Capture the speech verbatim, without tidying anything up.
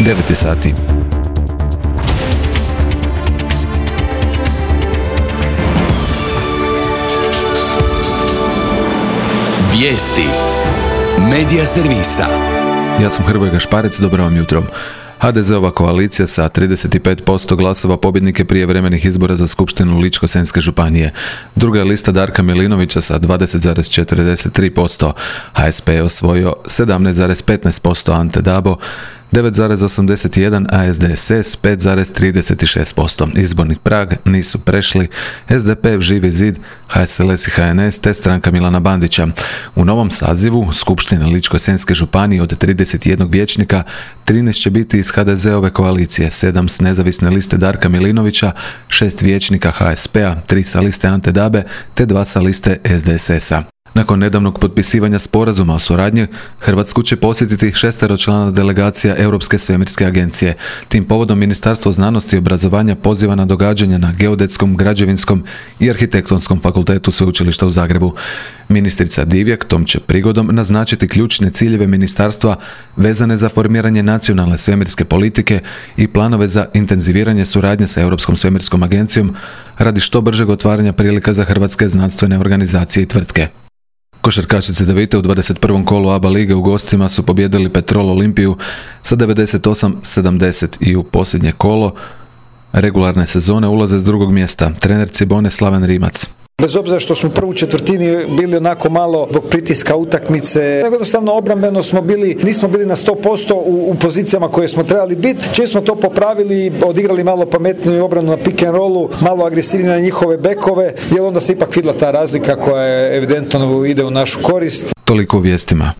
devet sati. Vijesti Medija servisa. Ja sam Hrvoje Gašparec, dobro vam jutro. ha de zeova koalicija sa trideset pet posto glasova pobjednike prijevremenih izbora za skupštinu Ličko-senjske županije. Druga je lista Darka Milinovića sa dvadeset zarez četrdeset tri posto. ha es pe je osvojio sedamnaest zarez petnaest posto, Ante Dabo devet zarez osamdeset jedan, a es de es es pet zarez trideset šest posto. Izborni prag nisu prešli es de pe, Živi zid, ha es el es i ha en es te stranka Milana Bandića. U novom sazivu Skupštine Ličko-senjske županije od trideset jedan vijećnika trinaest će biti iz ha de zeove koalicije, sedam s nezavisne liste Darka Milinovića, šest vijećnika ha es pe a, tri sa liste Ante Dabe te dva sa liste es de es es a. Nakon nedavnog potpisivanja sporazuma o suradnji, Hrvatsku će posjetiti šesteročlana delegacija Europske svemirske agencije. Tim povodom Ministarstvo znanosti i obrazovanja poziva na događanja na Geodetskom, Građevinskom i Arhitektonskom fakultetu Sveučilišta u Zagrebu. Ministrica Divjak tom će prigodom naznačiti ključne ciljeve ministarstva vezane za formiranje nacionalne svemirske politike i planove za intenziviranje suradnje sa Europskom svemirskom agencijom radi što bržeg otvaranja prilika za hrvatske znanstvene organizacije i tvrtke. Košarkašice Devite u dvadeset prvom kolu A B A lige u gostima su pobijedili Petrol Olimpiju sa devedeset osam sedamdeset i u posljednje kolo regularne sezone ulaze s drugog mjesta trener Cibone Slaven Rimac. Bez obzira što smo u prvu četvrtini bili onako malo zbog pritiska utakmice, jednostavno obrambeno smo bili, nismo bili na sto posto u, u pozicijama koje smo trebali biti. Čim smo to popravili, odigrali malo pametniju obranu na pick and rollu, malo agresivnije na njihove bekove, jer onda se ipak vidjela ta razlika koja je evidentno ide u našu korist. Toliko u vijestima.